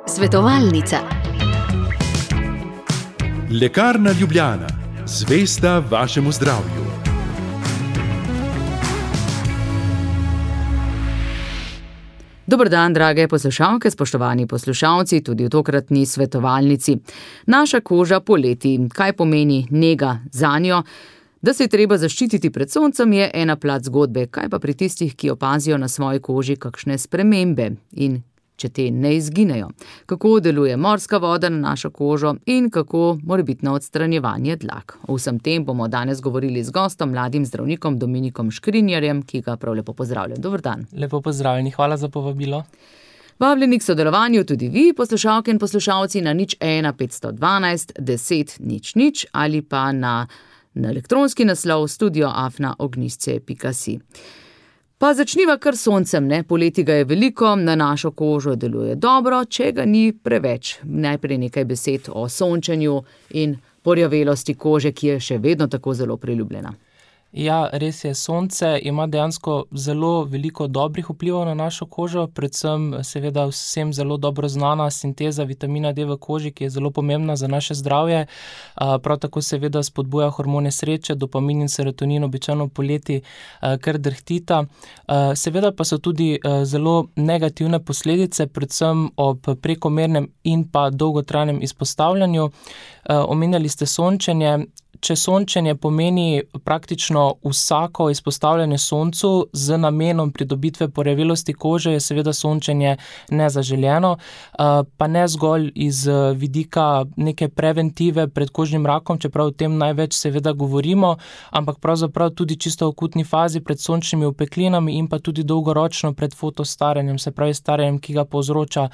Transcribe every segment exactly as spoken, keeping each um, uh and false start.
Svetovalnica. Lekarna Ljubljana, zvesta vašemu zdravju. Dober dan, drage poslušalke, spoštovani poslušalci, tudi v tokratni svetovalnici. Naša koža poleti, kaj pomeni nega zanjo? Da se je treba zaščititi pred soncem, je ena plat zgodbe, kaj pa pri tistih, ki opazijo na svoji koži kakšne spremembe in če te ne izginejo. Kako deluje morska voda na našo kožo in kako morebitno odstranjevanje dlak. O vsem tem bomo danes govorili z gostom, mladim zdravnikom Dominikom Škrinjarjem, ki ga prav lepo pozdravljam. Dober dan. Lepo pozdravljeni, hvala za povabilo. Vabljeni k sodelovanju tudi vi, poslušalke in poslušalci, na nič ena petsto dvanajst deset nič nič ali pa na, na elektronski naslov studio afna ognjišče pika si. Pa začniva kar soncem, ne? Poleti ga je veliko, na našo kožo deluje dobro, če ga ni preveč. Najprej nekaj besed o sončenju in porjavelosti kože, ki je še vedno tako zelo priljubljena. Ja, res je, sonce ima dejansko zelo veliko dobrih vplivov na našo kožo, predvsem seveda vsem zelo dobro znana sinteza vitamina D v koži, ki je zelo pomembna za naše zdravje. Prav tako seveda spodbuja hormone sreče, dopamin in serotonin običajno poleti kar drhtita. Seveda pa so tudi zelo negativne posledice, predvsem ob prekomernem in pa dolgotrajnem izpostavljanju. Omenjali ste sončenje. Če sončenje pomeni praktično vsako izpostavljanje soncu z namenom pridobitve porjavelosti kože, je seveda sončenje nezaželjeno, pa ne zgolj iz vidika neke preventive pred kožnim rakom, čeprav o tem največ seveda govorimo, ampak pravzaprav tudi čisto v akutni fazi pred sončnimi opeklinami in pa tudi dolgoročno pred fotostaranjem, se pravi staranjem, ki ga povzroča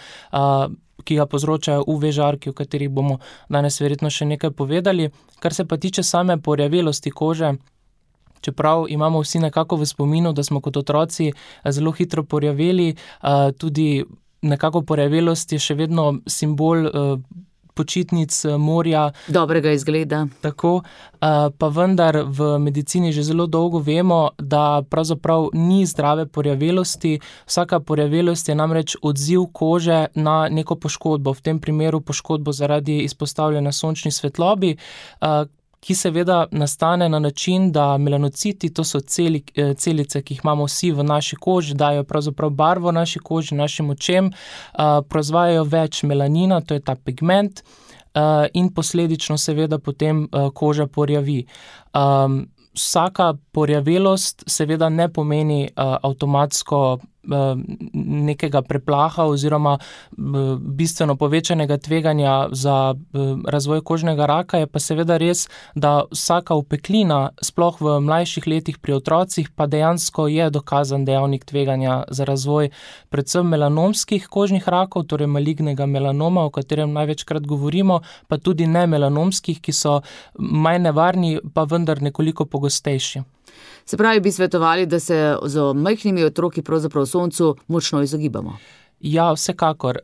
ki ga povzročajo U V žarki, o katerih bomo danes verjetno še nekaj povedali. Kar se pa tiče same porjavelosti kože, čeprav imamo vsi nekako v spominu, da smo kot otroci zelo hitro porjaveli, tudi nekako porjavelost je še vedno simbol počitnic, morja. Dobrega izgleda. Tako, pa vendar v medicini že zelo dolgo vemo, da pravzaprav ni zdrave porjavelosti. Vsaka porjavelost je namreč odziv kože na neko poškodbo, v tem primeru poškodbo zaradi izpostavljanja sončni svetlobi, ki seveda nastane na način, da melanociti, to so celi, celice, ki jih imamo vsi v naši koži, dajo pravzaprav barvo naši koži, našim očem, proizvajajo več melanina, to je ta pigment, in posledično seveda potem koža porjavi. Vsaka porjavelost seveda ne pomeni avtomatsko nekega preplaha oziroma bistveno povečanega tveganja za razvoj kožnega raka, je pa seveda res, da vsaka opeklina, sploh v mlajših letih pri otrocih, pa dejansko je dokazan dejavnik tveganja za razvoj predvsem melanomskih kožnih rakov, torej malignega melanoma, o katerem največkrat govorimo, pa tudi nemelanomskih, ki so manj nevarni, pa vendar nekoliko pogostejši. Se pravi, bi svetovali, da se z majhnimi otroki pravzaprav soncu močno izogibamo? Ja, vsekakor.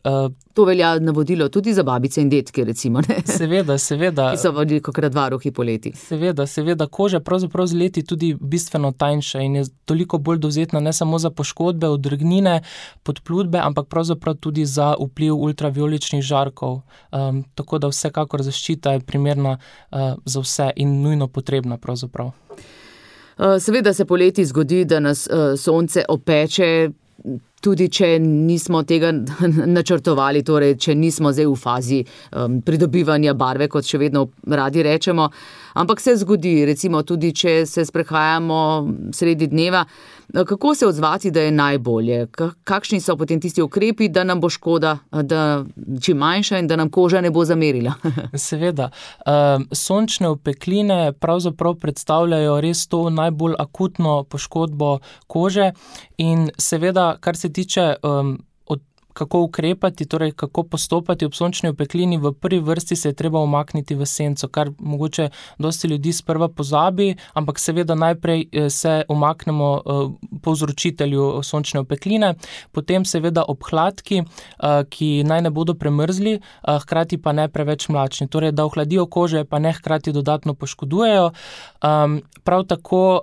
To velja navodilo tudi za babice in detke, recimo, ne? Seveda, seveda. Ki so velikokrat varuhi poleti. Seveda, seveda. Koža pravzaprav z leti tudi bistveno tanjša in je toliko bolj dovzetna ne samo za poškodbe, odrgnine, podplutbe, ampak pravzaprav tudi za vpliv ultravioličnih žarkov. Um, tako da vsekakor zaščita je primerna uh, za vse in nujno potrebna pravzaprav. Seveda se poleti zgodi, da nas sonce opeče, tudi če nismo tega načrtovali, torej če nismo zdaj v fazi um, pridobivanja barve, kot še vedno radi rečemo, ampak se zgodi, recimo tudi, če se sprehajamo sredi dneva. Kako se odzvati, da je najbolje? Kakšni so potem tisti ukrepi, da nam bo škoda, da čim manjša in da nam koža ne bo zamerila? Seveda. Sončne opekline pravzaprav predstavljajo res to najbolj akutno poškodbo kože in seveda, kar se tiče um, kako ukrepati, torej kako postopati ob sončni opeklini, v prvi vrsti se je treba umakniti v senco, kar mogoče dosti ljudi sprva pozabi, ampak seveda najprej se umaknemo povzročitelju sončne opekline, potem seveda ob hladki, ki naj ne bodo premrzli, hkrati pa ne preveč mlačni, torej da ohladijo kože, pa ne hkrati dodatno poškodujejo. Prav tako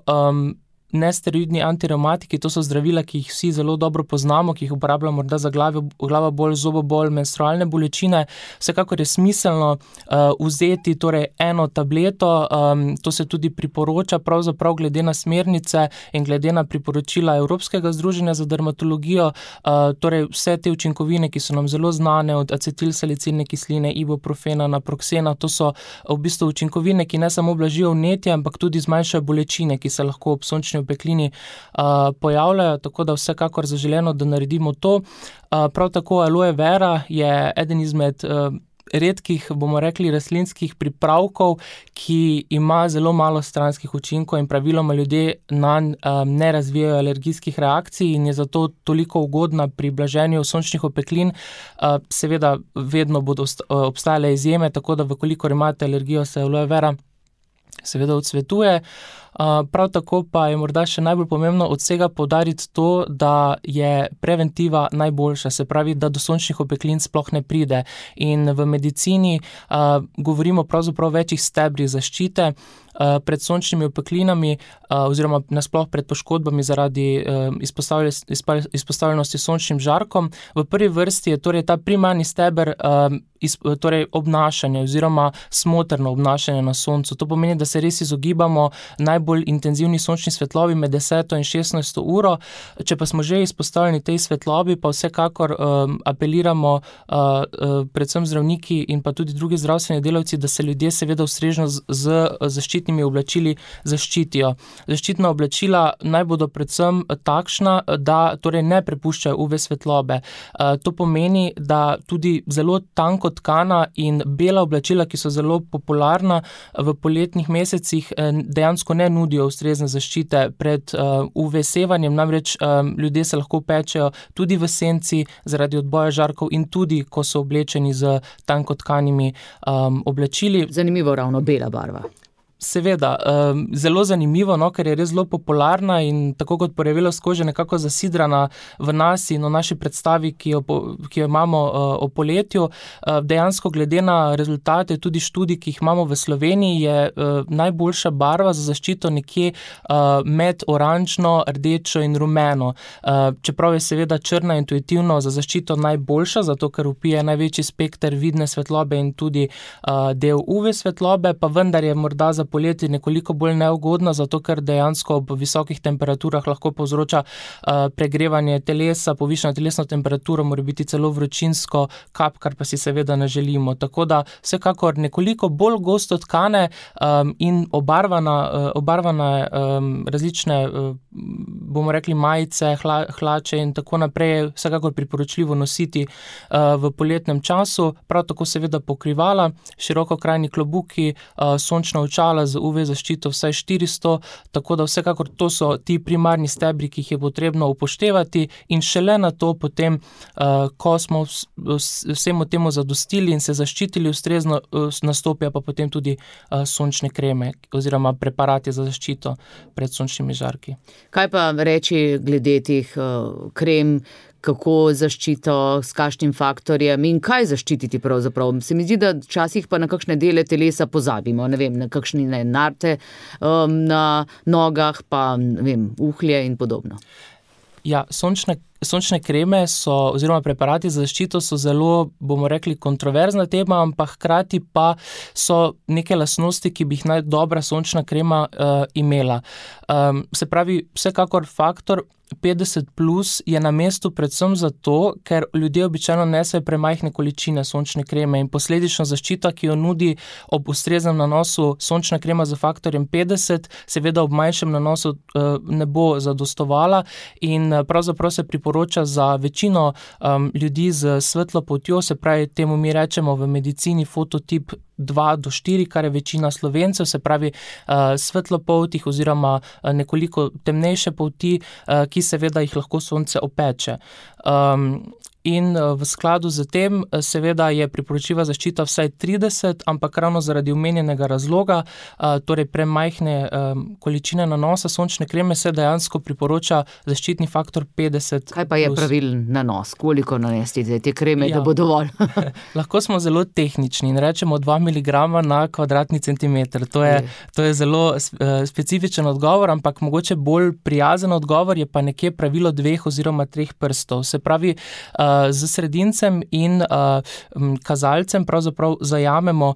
nesteroidni antireumatiki, to so zdravila, ki jih vsi zelo dobro poznamo, ki jih uporabljamo morda za glavo, glava bolj, zobobol, menstrualne bolečine. Vsekakor je smiselno uh, vzeti torej eno tableto, um, to se tudi priporoča pravzaprav glede na smernice in glede na priporočila Evropskega združenja za dermatologijo, uh, torej vse te učinkovine, ki so nam zelo znane, od acetilsalicilne kisline, ibuprofena, naproksena, to so v bistvu učinkovine, ki ne samo blažijo vnetje, ampak tudi zmanjšajo bolečine, ki se lahko ob sončni opeklini uh, pojavljajo, tako da vsekakor zaželeno, da naredimo to. Uh, prav tako aloe vera je eden izmed uh, redkih, bomo rekli, rastlinskih pripravkov, ki ima zelo malo stranskih učinkov in praviloma ljudje nanj um, ne razvijajo alergijskih reakcij in je zato toliko ugodna pri blaženju sončnih opeklin. Uh, seveda vedno bodo obstajale izjeme, tako da vkolikor imate alergijo, se aloe vera seveda odsvetuje. Uh, prav tako pa je morda še najbolj pomembno od vsega poudariti to, da je preventiva najboljša, se pravi, da do sončnih opeklin sploh ne pride. In v medicini uh, govorimo pravzaprav o večjih stebrih zaščite uh, pred sončnimi opeklinami uh, oziroma nasploh pred poškodbami zaradi uh, izpostavljenosti sončnim žarkom. V prvi vrsti je torej ta primarni steber uh, iz, torej obnašanje oziroma smotrno obnašanje na soncu. To pomeni, da se res izogibamo najbolj intenzivni sončni svetlobi med deseto in šestnajsto uro. Če pa smo že izpostavljeni tej svetlobi, pa vsekakor um, apeliramo uh, uh, predvsem zdravniki in pa tudi drugi zdravstveni delavci, da se ljudje seveda ustrežno z, z zaščitnimi oblačili zaščitijo. Zaščitna oblačila naj bodo predvsem takšna, da torej ne prepuščajo U V svetlobe. Uh, to pomeni, da tudi zelo tanko tkana in bela oblačila, ki so zelo popularna v poletnih mesecih, dejansko ne nudijo ustrezne zaščite pred uh, U V sevanjem, namreč um, ljudje se lahko pečejo tudi v senci zaradi odboja žarkov in tudi, ko so oblečeni z tankotkanimi um, oblačili. Zanimivo, ravno bela barva. Seveda, um, zelo zanimivo, no, ker je res zelo popularna in tako kot porjavelost kože nekako zasidrana v nas in v naši predstavi, ki jo, ki jo imamo uh, o poletju. Uh, dejansko glede na rezultate tudi študij, ki jih imamo v Sloveniji, je uh, najboljša barva za zaščito nekje uh, med oranžno, rdečo in rumeno. Uh, čeprav je seveda črna intuitivno za zaščito najboljša, zato ker vpije največji spekter vidne svetlobe in tudi uh, del U V svetlobe, pa vendar je morda za poleti nekoliko bolj neugodna, zato ker dejansko ob visokih temperaturah lahko povzroča uh, pregrevanje telesa, povišana telesna temperatura, mora biti celo vročinsko kap, kar pa si seveda ne želimo. Tako da vsekakor nekoliko bolj gosto tkane um, in obarvana, uh, obarvane um, različne, uh, bomo rekli, majice, hla, hlače in tako naprej je vsekakor priporočljivo nositi uh, v poletnem času. Prav tako seveda pokrivala, širokokrajni klobuki, uh, sončna očala z U V zaščito vsaj štiristo, tako da vsekakor to so ti primarni stebri, ki jih je potrebno upoštevati in šele na to potem, uh, ko smo vsemu temu zadostili in se zaščitili ustrezno, uh, nastopijo pa potem tudi uh, sončne kreme oziroma preparati za zaščito pred sončnimi žarki. Kaj pa reči glede teh uh, krem, kako zaščito, s kakšnim faktorjem in kaj zaščititi pravzaprav? Se mi zdi, da včasih pa na kakšne dele telesa pozabimo, ne vem, na kakšne narte um, na nogah, pa ne vem, uhlje in podobno. Ja, sončne Sončne kreme so, oziroma preparati za zaščito so zelo, bomo rekli, kontroverzna tema, ampak hkrati pa so neke lastnosti, ki bi jih naj dobra sončna krema uh, imela. Um, se pravi, vsekakor faktor petdeset plus je na mestu predvsem zato, ker ljudje običajno nesejo premajhne količine sončne kreme in posledično zaščita, ki jo nudi ob ustreznem nanosu sončna krema z faktorjem petdeset, seveda ob manjšem nanosu uh, ne bo zadostovala in uh, pravzaprav se priporoča za večino um, ljudi z svetlo poltjo, se pravi, temu mi rečemo v medicini fototip dva do štiri, kar je večina Slovencev, se pravi uh, svetlopoltih oziroma uh, nekoliko temnejše polti, uh, ki seveda jih lahko sonce opeče. Um, In v skladu z tem seveda je priporočljiva zaščita vsaj trideset, ampak ravno zaradi omenjenega razloga, torej premajhne količine nanosa sončne kreme, se dejansko priporoča zaščitni faktor petdeset. Kaj pa je pravilen nanos? Koliko nanesti te kreme, ja, da bo dovolj? Lahko smo zelo tehnični in rečemo dva miligrama na kvadratni centimeter. To je, to je zelo specifičen odgovor, ampak mogoče bolj prijazen odgovor je pa nekje pravilo dveh oziroma treh prstov. Se pravi, z sredincem in kazalcem pravzaprav zajamemo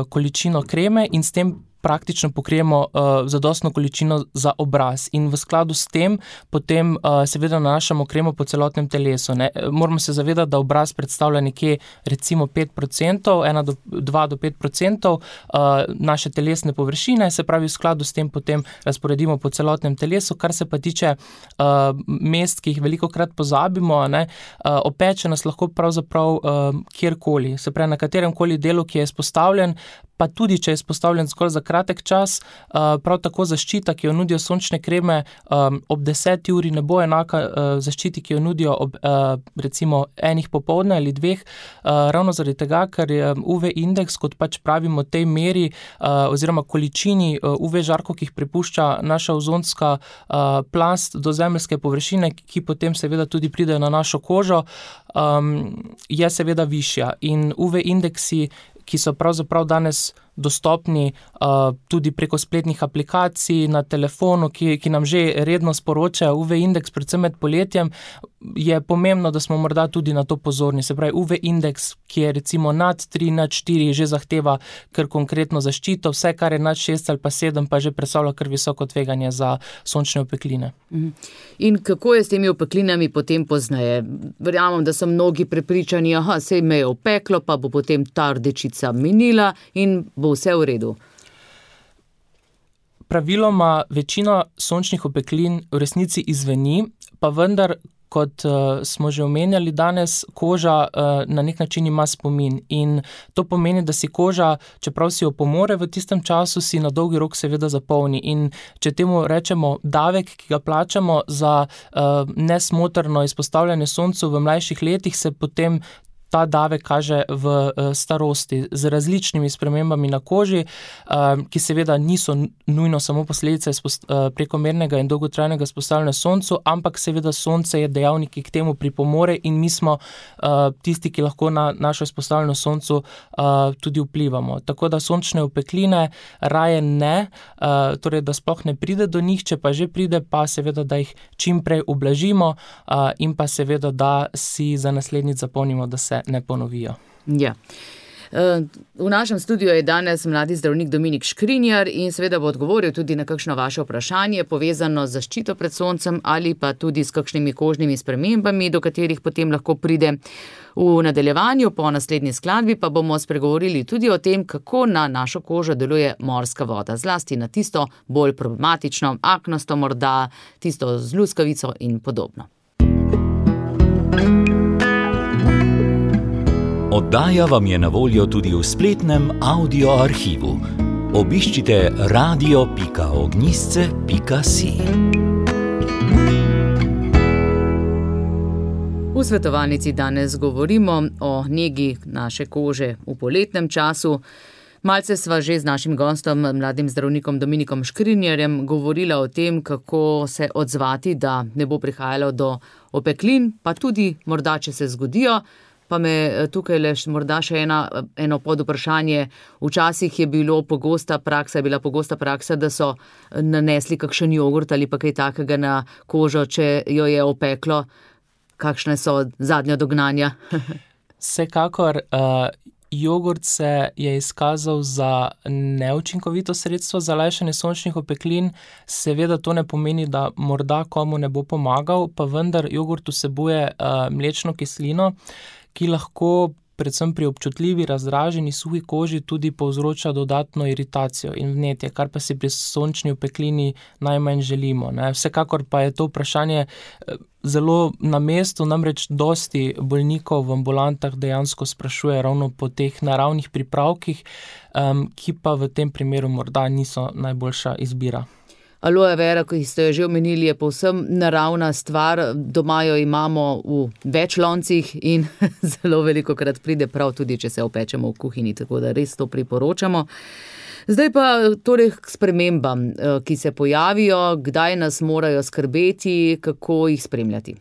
količino kreme in s tem praktično pokrijemo uh, zadostno količino za obraz in v skladu s tem potem uh, seveda nanašamo kremo po celotnem telesu. Ne? Moramo se zavedati, da obraz predstavlja nekje recimo pet procentov, ena do dva do pet procentov uh, naše telesne površine, se pravi v skladu s tem potem razporedimo po celotnem telesu. Kar se pa tiče uh, mest, ki jih velikokrat pozabimo, ne? Uh, opeče nas lahko pravzaprav uh, kjerkoli, se pravi na katerem koli delu, ki je izpostavljen, pa tudi, če je izpostavljen zgolj za kratek čas, prav tako zaščita, ki jo nudijo sončne kreme, ob deseti uri ne bo enaka zaščiti, ki jo nudijo ob recimo enih popoldne ali dveh, ravno zaradi tega, ker je U V indeks, kot pač pravimo tej meri oziroma količini U V žarkov, ki jih prepušča naša ozonska plast do zemeljske površine, ki potem seveda tudi pridejo na našo kožo, je seveda višja. In U V indeksi, ki so pravzaprav danes dostopni uh, tudi preko spletnih aplikacij na telefonu, ki, ki nam že redno sporočajo U V indeks, predvsem med poletjem, je pomembno, da smo morda tudi na to pozorni. Se pravi, U V indeks, ki je recimo nad tri, nad štiri, že zahteva kar konkretno zaščito, vse, kar je nad šest ali pa sedem, pa že predstavlja kar visoko tveganje za sončne opekline. In kako je s temi opeklinami potem pozneje? Verjamem, da so mnogi prepričani, aha, sej me je opeklo, pa bo potem ta rdečica minila in bo vse v redu. Praviloma večina sončnih opeklin v resnici izzveni, pa vendar, kot uh, smo že omenjali danes, koža uh, na nek način ima spomin in to pomeni, da si koža, čeprav si jo pomore v tistem času, si na dolgi rok seveda zapolni in če temu rečemo davek, ki ga plačamo za uh, nesmotrno izpostavljanje soncu v mlajših letih, se potem ta davek kaže v starosti z različnimi spremembami na koži, ki seveda niso nujno samo posledice prekomernega in dolgotrajnega izpostavljanja soncu, ampak seveda sonce je dejavnik, ki k temu pripomore in mi smo tisti, ki lahko na našo izpostavljeno soncu tudi vplivamo. Tako da sončne opekline raje ne, torej da sploh ne pride do njih, če pa že pride, pa seveda, da jih čim prej ublažimo in pa seveda, da si za naslednjič zapomnimo, da se ne ponovijo. Ja. V našem studiu je danes mladi zdravnik Dominik Škrinjar in seveda bo odgovoril tudi na kakšno vaše vprašanje povezano z zaščito pred soncem ali pa tudi s kakšnimi kožnimi spremembami, do katerih potem lahko pride. V nadaljevanju po naslednji skladbi pa bomo spregovorili tudi o tem, kako na našo kožo deluje morska voda, zlasti na tisto bolj problematično, aknasto morda, tisto z luskavico in podobno. Oddaja vam je na voljo tudi v spletnem audio arhivu. Obiščite radio pika ognjisce pika si. V svetovalnici danes govorimo o negi naše kože v poletnem času. Malce sva že z našim gostom, mladim zdravnikom Dominikom Škrinjarjem, govorila o tem, kako se odzvati, da ne bo prihajalo do opeklin, pa tudi morda, če se zgodijo. Pa me tukaj le morda še ena, eno podvprašanje. Včasih je bilo pogosta praksa, je bila pogosta praksa, da so nanesli kakšen jogurt ali pa kaj takega na kožo, če jo je opeklo. Kakšne so zadnja dognanja? Vsekakor, uh, jogurt se je izkazal za neučinkovito sredstvo za lajšanje sončnih opeklin. Seveda to ne pomeni, da morda komu ne bo pomagal, pa vendar jogurt vsebuje uh, mlečno kislino, ki lahko predvsem pri občutljivi, razdraženi, suhi koži tudi povzroča dodatno iritacijo in vnetje, kar pa si pri sončni opeklini najmanj želimo. Ne. Vsekakor pa je to vprašanje zelo na mestu, namreč dosti bolnikov v ambulantah dejansko sprašuje ravno po teh naravnih pripravkih, um, ki pa v tem primeru morda niso najboljša izbira. Aloe vera, ki ste jo že omenili, je povsem naravna stvar. Doma jo imamo v več loncih in zelo veliko krat pride prav tudi, če se opečemo v kuhinji, tako da res to priporočamo. Zdaj pa torej k spremembam, ki se pojavijo, kdaj nas morajo skrbeti, kako jih spremljati.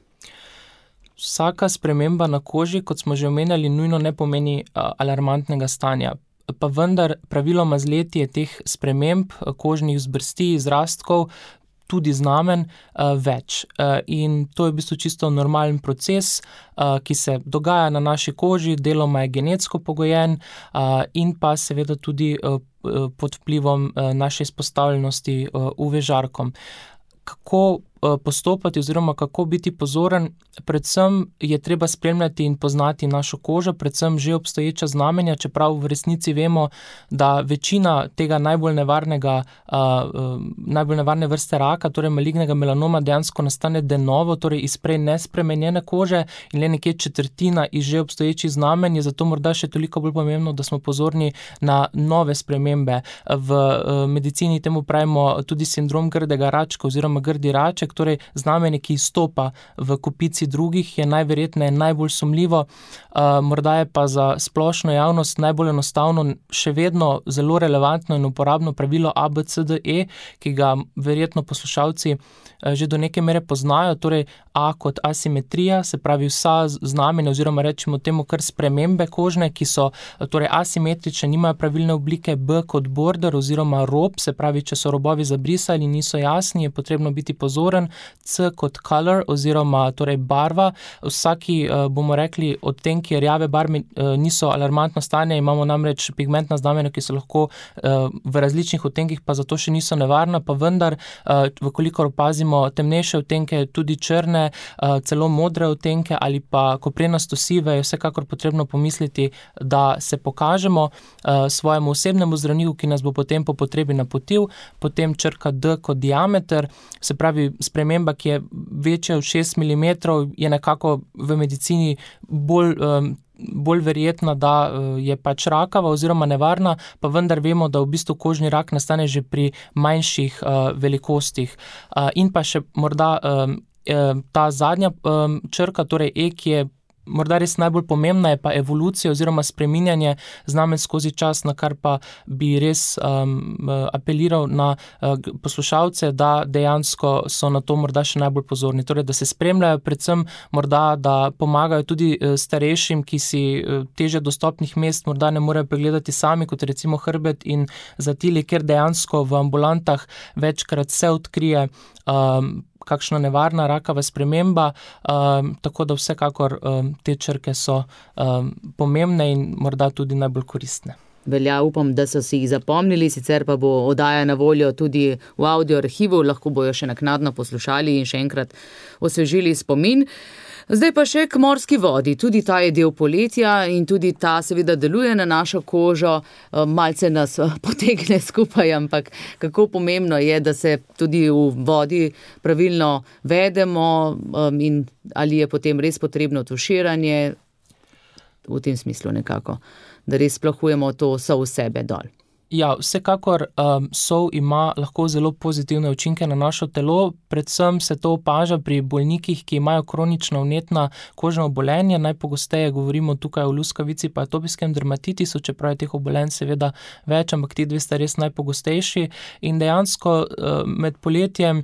Vsaka sprememba na koži, kot smo že omenjali, nujno ne pomeni alarmantnega stanja. pa vendar praviloma z leti je teh sprememb kožnih zbrsti, izrastkov, tudi znamen, uh, več. Uh, in to je v bistvu čisto normalen proces, uh, ki se dogaja na naši koži, deloma je genetsko pogojen uh, in pa seveda tudi uh, pod vplivom uh, naše izpostavljenosti uh, U V žarkom. Kako postopati oziroma kako biti pozoren, predvsem je treba spremljati in poznati našo kožo, predvsem že obstoječa znamenja, čeprav v resnici vemo, da večina tega najbolj nevarnega, uh, najbolj nevarne vrste raka, torej malignega melanoma, dejansko nastane de novo, torej iz prej nespremenjene kože in le nekje četrtina iz že obstoječih znamenj, je zato morda še toliko bolj pomembno, da smo pozorni na nove spremembe. V uh, medicini temu pravimo tudi sindrom grdega račka oziroma grdi raček, torej znamenje, ki izstopa v kupici drugih, je najverjetneje najbolj sumljivo, uh, morda je pa za splošno javnost najbolj enostavno še vedno zelo relevantno in uporabno pravilo A B C D E, ki ga verjetno poslušalci uh, že do neke mere poznajo, torej A kot asimetrija, se pravi vsa znamenja oziroma rečemo temu kar spremembe kožne, ki so torej asimetrične, nimajo pravilne oblike, B kot border oziroma rob, se pravi, če so robovi zabrisali, niso jasni, je potrebno biti pozoren, C kot color oziroma torej barva, vsaki, bomo rekli, odtenki rjave barve niso alarmantno stanje, imamo namreč pigmentna znamenja, ki so lahko v različnih odtenkih, pa zato še niso nevarna, pa vendar, vkolikor opazimo temnejše odtenke, tudi črne, celo modre odtenke ali pa koprenasto sive, je vsekakor potrebno pomisliti, da se pokažemo svojemu osebnemu zdravniku, ki nas bo potem po potrebi napotil, potem črka D kot diameter, se pravi sprememba, ki je večja od šest milimetrov, je nekako v medicini bolj, bolj verjetna, da je pač rakava oziroma nevarna, pa vendar vemo, da v bistvu kožni rak nastane že pri manjših velikostih. In pa še morda ta zadnja črka, torej E, ki je morda res najbolj pomembna, je pa evolucija oziroma spreminjanje znamen skozi čas, na kar pa bi res um, apeliral na uh, poslušalce, da dejansko so na to morda še najbolj pozorni. Torej, da se spremljajo, predvsem morda, da pomagajo tudi uh, starejšim, ki si uh, teže dostopnih mest morda ne morejo pregledati sami, kot recimo hrbet in zatili, ker dejansko v ambulantah večkrat se odkrije um, kakšna nevarna rakava sprememba, um, tako da vsekakor um, te črke so um, pomembne in morda tudi najbolj koristne. Velja, upam, da so si jih zapomnili, sicer pa bo oddaja na voljo tudi v audio arhivu, lahko bojo še naknadno poslušali in še enkrat osvežili spomin. Zdaj pa še k morski vodi, tudi ta je del poletja in tudi ta seveda deluje na našo kožo, malce nas potegne skupaj, ampak kako pomembno je, da se tudi v vodi pravilno vedemo in ali je potem res potrebno tuširanje, v tem smislu nekako, da res splahujemo to sol v sebe dol. Ja, vsekakor um, sol ima lahko zelo pozitivne učinke na našo telo, predvsem se to opaža pri bolnikih, ki imajo kronično vnetna kožna obolenja, najpogosteje govorimo tukaj o luskavici pa atopijskem dermatitisu, čeprav je teh obolenj seveda več, ampak ti dve sta res najpogostejši in dejansko uh, med poletjem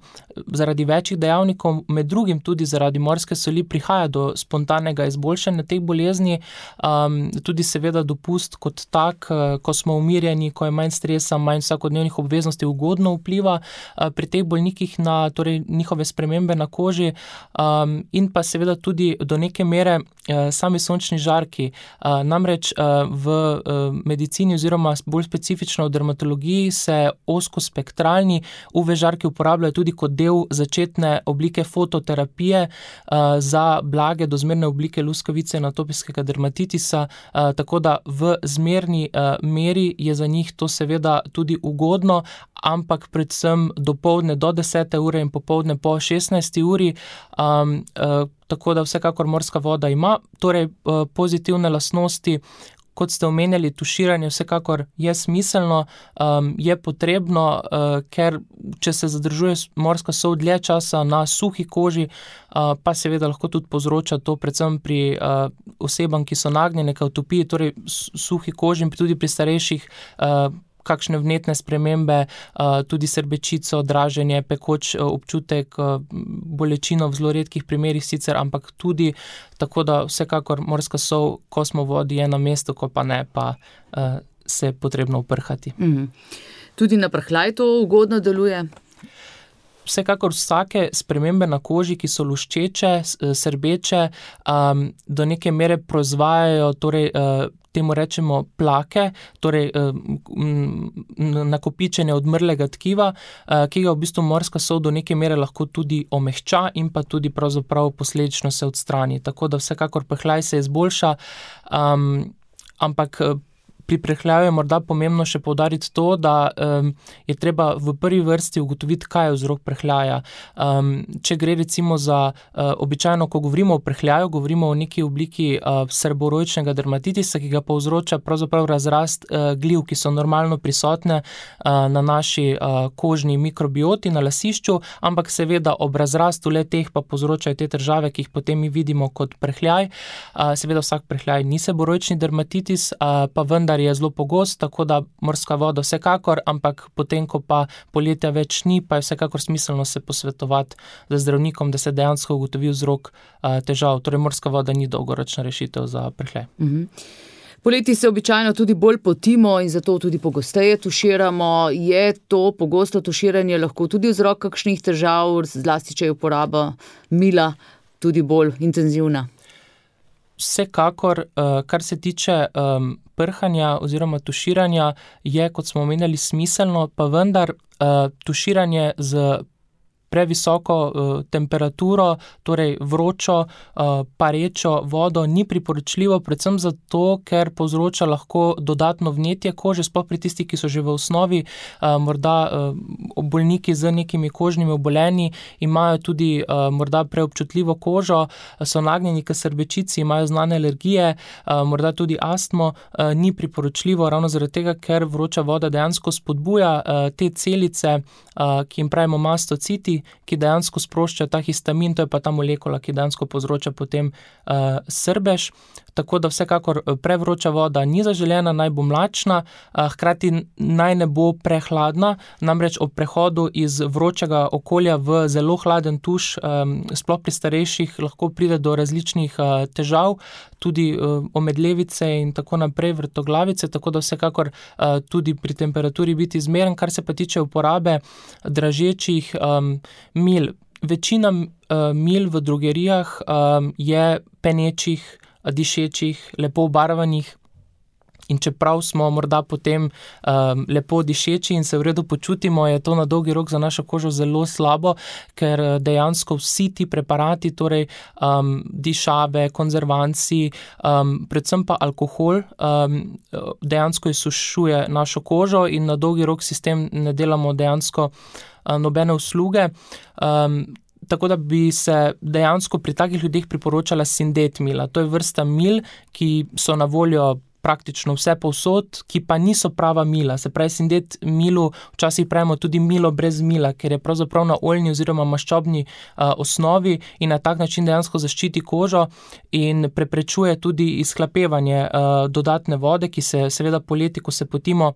zaradi večjih dejavnikov, med drugim tudi zaradi morske soli, prihaja do spontanega izboljšanja teh bolezni, um, tudi seveda dopust kot tak, uh, ko smo umirjeni, ko je manj stresa, manj vsakodnevnih obveznosti ugodno vpliva uh, pri teh bolnikih na torej, njihove spremembe na koži um, in pa seveda tudi do neke mere uh, sami sončni žarki. Uh, namreč uh, v uh, medicini oziroma bolj specifično v dermatologiji se ozkospektralni U V žarki uporabljajo tudi kot del začetne oblike fototerapije uh, za blage do zmerne oblike luskavice in atopijskega dermatitisa, uh, tako da v zmerni uh, meri je za njih to seveda tudi ugodno, ampak predvsem dopoldne do desete ure in popoldne po šestnajsti uri, um, uh, tako da vsekakor morska voda ima torej uh, pozitivne lastnosti. Kot ste omenjali, tuširanje vsekakor je smiselno, um, je potrebno, uh, ker če se zadržuje morska sol dlje časa na suhi koži, uh, pa seveda lahko tudi povzroča to predvsem pri uh, osebam, ki so nagnjene k atopiji, torej suhi koži in tudi pri starejših uh, kakšne vnetne spremembe, tudi srbečico, draženje, pekoč občutek, bolečino v zelo redkih primerih sicer, ampak tudi tako, da vsekakor morska sol, ko smo v vodi, je na mestu, ko pa ne, pa se je potrebno uprhati. Mhm. Tudi na prhljaj to ugodno deluje? Vsekakor vsake spremembe na koži, ki so luščeče, srbeče, um, do neke mere proizvajajo, torej uh, temu rečemo plake, torej um, nakopičenje odmrlega tkiva, uh, ki ga v bistvu morska sol do neke mere lahko tudi omehča in pa tudi pravzaprav posledično se odstrani. Tako da vsekakor prhljaj se izboljša, um, ampak pri prehljaju je morda pomembno še poudariti to, da um, je treba v prvi vrsti ugotoviti, kaj je vzrok prehljaja. Um, če gre recimo za uh, običajno, ko govorimo o prehljaju, govorimo o neki obliki uh, seborojčnega dermatitisa, ki ga povzroča pravzaprav razrast uh, gliv, ki so normalno prisotne uh, na naši uh, kožni mikrobioti, na lasišču, ampak seveda ob razrastu le-teh pa povzročajo te težave, ki jih potem mi vidimo kot prehljaj. Uh, seveda vsak prehljaj ni seborojčni dermatitis, uh, pa vendar je zelo pogost, tako da morska voda vsekakor, ampak potem, ko pa poletja več ni, pa je vsekakor smiselno se posvetovati z zdravnikom, da se dejansko ugotovi vzrok uh, težav. Torej, morska voda ni dolgoročna rešitev za prehljaj. Mhm. Poleti se običajno tudi bolj potimo in zato tudi pogosteje tuširamo. Je to pogosto tuširanje lahko tudi vzrok kakšnih težav, zlasti če je uporaba mila tudi bolj intenzivna? Vsekakor, kar se tiče um, prhanja oziroma tuširanja, je, kot smo omenjali, smiselno, pa vendar uh, tuširanje z previsoko uh, temperaturo, torej vročo, uh, parečo vodo ni priporočljivo, predvsem zato, ker povzroča lahko dodatno vnetje kože, sploh pri tistih, ki so že v osnovi, uh, morda uh, bolniki z nekimi kožnimi obolenji, imajo tudi uh, morda preobčutljivo kožo, so nagnjeni k srbečici, imajo znane alergije, uh, morda tudi astmo, uh, ni priporočljivo ravno zaradi tega, ker vroča voda dejansko spodbuja uh, te celice, uh, ki jim pravimo mastociti, ki dejansko sprošča ta histamin, to je pa ta molekula, ki dejansko povzroča potem uh, srbež. Tako da vsekakor prevroča voda ni zaželena, naj bo mlačna, uh, hkrati naj ne bo prehladna, namreč ob prehodu iz vročega okolja v zelo hladen tuš, um, sploh pri starejših, lahko pride do različnih uh, težav, tudi uh, omedlevice in tako naprej, vrtoglavice, tako da vsekakor uh, tudi pri temperaturi biti zmeren. Kar se pa tiče uporabe dražečih um, mil, večina uh, mil v drogerijah um, je penečih, dišečih, lepo obarvanih in čeprav smo morda potem um, lepo dišeči in se v redu počutimo, je to na dolgi rok za našo kožo zelo slabo, ker dejansko vsi ti preparati, torej um, dišave, konzervanci, um, predvsem pa alkohol, um, dejansko izsušuje našo kožo in na dolgi rok si s tem ne delamo dejansko uh, nobene usluge. Um, Tako da bi se dejansko pri takih ljudeh priporočala sindet mila. To je vrsta mil, ki so na voljo praktično vse povsod, ki pa niso prava mila. Se pravi, sindet milu včasih pravimo tudi milo brez mila, ker je pravzaprav na oljni oziroma maščobni uh, osnovi in na tak način dejansko zaščiti kožo in preprečuje tudi izhlapevanje uh, dodatne vode, ki se seveda poleti, ko se potimo,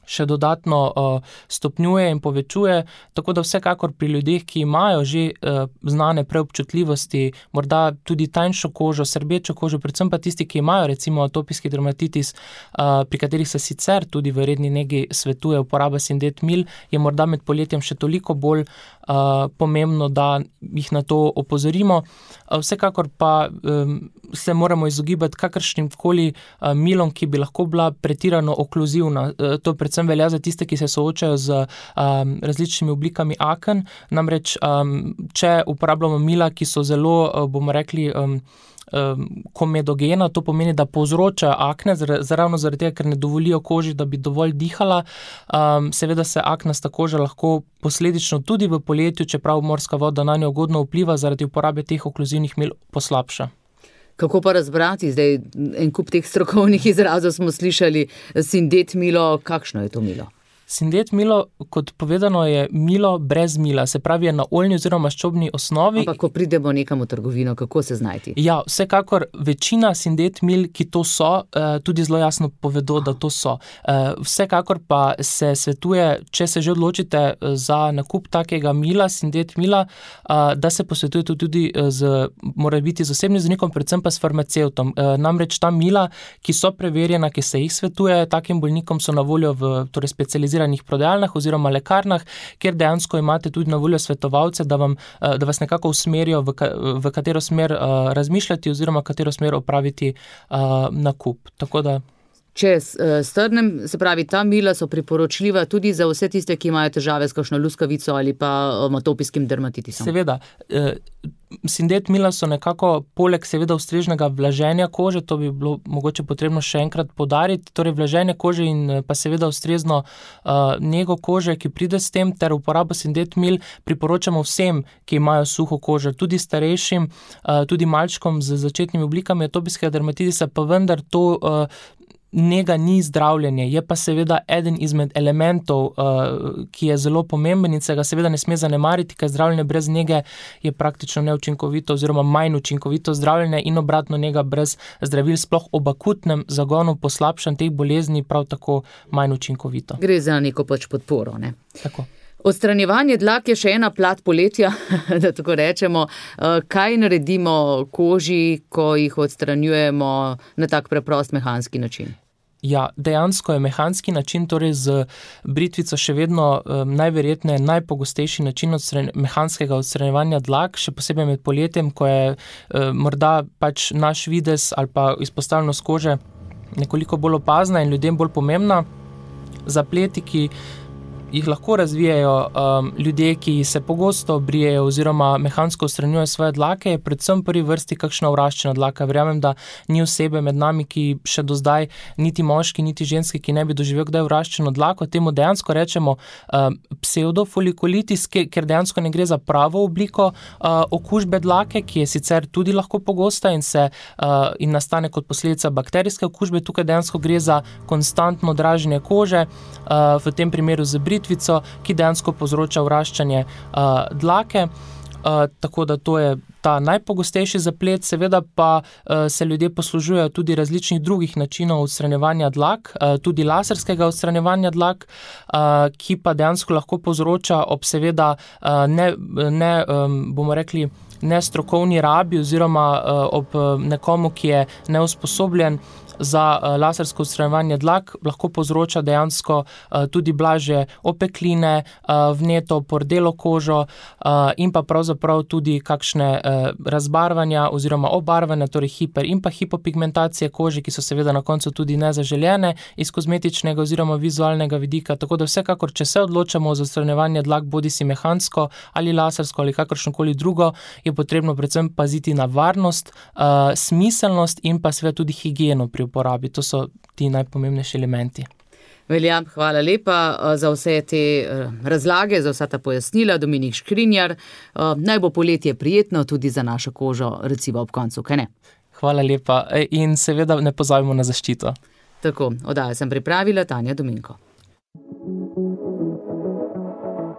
še dodatno uh, stopnjuje in povečuje, tako da vsekakor pri ljudeh, ki imajo že uh, znane preobčutljivosti, morda tudi tanjšo kožo, srbečo kožo, predvsem pa tisti, ki imajo recimo atopijski dermatitis, uh, pri katerih se sicer tudi v redni negi svetuje uporaba sindet mil, je morda med poletjem še toliko bolj uh, pomembno, da jih na to opozorimo. Uh, vsekakor pa um, se moramo izogibati kakršnim koli uh, milom, ki bi lahko bila pretirano okluzivna. Uh, to predvsem velja za tiste, ki se soočajo z um, različnimi oblikami aken. Namreč, um, če uporabljamo mila, ki so zelo, uh, bomo rekli, um, um, komedogena, to pomeni, da povzročajo akne, ravno zaradi tega, ker ne dovolijo koži, da bi dovolj dihala. Um, seveda se aknasta koža lahko posledično tudi v poletju, čeprav morska voda na njo ugodno vpliva, zaradi uporabe teh okluzivnih mil poslabša. Kako pa razbrati? Zdaj, en kup teh strokovnih izrazov smo slišali, sindet milo, kakšno je to milo? Sindet milo, kot povedano, je milo brez mila, se pravi je na oljni oziroma maščobni osnovi. Ampak ko pridemo nekam v trgovino, kako se znajti? Ja, vsekakor večina sindet mil, ki to so, tudi zelo jasno povedo, da to so. Vsekakor pa se svetuje, če se že odločite za nakup takega mila, sindet mila, da se posvetujete tudi z, mora biti z osebnim zdravnikom, predvsem pa s farmacevtom. Namreč ta mila, ki so preverjena, ki se jih svetuje takim bolnikom, so na voljo v torej specializiranih prodajalnah oziroma lekarnah, kjer dejansko imate tudi na voljo svetovalce, da, vam, da vas nekako usmerijo, v, ka, v katero smer uh, razmišljati oziroma katero smer opraviti uh, nakup. Tako da Če strnem, se pravi, ta mila so priporočljiva tudi za vse tiste, ki imajo težave s kakšno luskavico ali pa atopijskim dermatitisom. Seveda. Sindet mila so nekako poleg seveda ustreznega vlaženja kože, to bi bilo mogoče potrebno še enkrat poudariti, torej vlaženje kože in pa seveda ustrezno uh, nego kože, ki pride s tem, ter uporabo sindet mil priporočamo vsem, ki imajo suho kožo, tudi starejšim, uh, tudi malčkom z začetnimi oblikami atopijskega dermatitisa, pa vendar to uh, nega ni zdravljenje, je pa seveda eden izmed elementov, uh, ki je zelo pomemben in se ga seveda ne sme zanemariti, ker zdravljenje brez nege je praktično neučinkovito oziroma manj učinkovito zdravljenje in obratno nega brez zdravil, sploh ob akutnem zagonu poslabšanj teh bolezni, prav tako manj učinkovito. Gre za neko pač podporo, ne? Tako. Odstranjevanje dlak je še ena plat poletja, da tako rečemo. Kaj naredimo koži, ko jih odstranjujemo na tak preprost mehanski način? Ja, dejansko je mehanski način, torej z britvico še vedno um, najverjetneje najpogostejši način odstran- mehanskega odstranjevanja dlak, še posebej med poletjem, ko je um, morda pač naš videz ali pa izpostavljenost kože nekoliko bolj opazna in ljudem bolj pomembna. Zapleti, ki jih lahko razvijajo um, ljudje, ki se pogosto brijejo oziroma mehansko odstranjujejo svoje dlake, je predvsem prvi vrsti kakšna vraščena dlaka. Verjamem, da ni osebe med nami, ki še do zdaj, niti moški, niti ženski, ki ne bi doživel kdaj vraščeno dlako. Temu dejansko rečemo um, pseudofolikolitis, ker dejansko ne gre za pravo obliko uh, okužbe dlake, ki je sicer tudi lahko pogosta in, se, uh, in nastane kot posledica bakterijske okužbe. Tukaj dejansko gre za konstantno draženje kože, uh, v tem primeru z britvico, ki dejansko povzroča vraščanje uh, dlake, uh, tako da to je ta najpogostejši zaplet, seveda pa uh, se ljudje poslužujejo tudi različnih drugih načinov odstranjevanja dlak, uh, tudi laserskega odstranjevanja dlak, uh, ki pa dejansko lahko povzroča ob seveda uh, ne, ne um, bomo rekli, nestrokovni rabi oziroma uh, ob nekomu, ki je neusposobljen za uh, lasersko odstranjevanje dlak, lahko povzroča dejansko uh, tudi blažje opekline, uh, vneto, pordelo kožo uh, in pa pravzaprav tudi kakšne uh, razbarvanja oziroma obarvanja, torej hiper in pa hipopigmentacije kože, ki so seveda na koncu tudi nezaželjene iz kozmetičnega oziroma vizualnega vidika. Tako da vsekakor, če se odločamo za odstranjevanje dlak, bodi si mehansko ali lasersko ali kakršnokoli drugo, je potrebno predvsem paziti na varnost, uh, smiselnost in pa seveda tudi higieno pri uporabi. To so ti najpomembnejši elementi. Velja, hvala lepa za vse te razlage, za vsa ta pojasnila. Dominik Škrinjar, naj bo poletje prijetno tudi za našo kožo, recimo ob koncu, kaj ne? Hvala lepa in seveda ne pozabimo na zaščito. Tako, oddajo sem pripravila Tanja Dominko.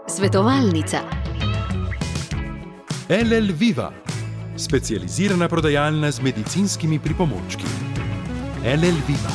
Svetovalnica. L L Viva, specializirana prodajalna z medicinskimi pripomočki. L L Viva.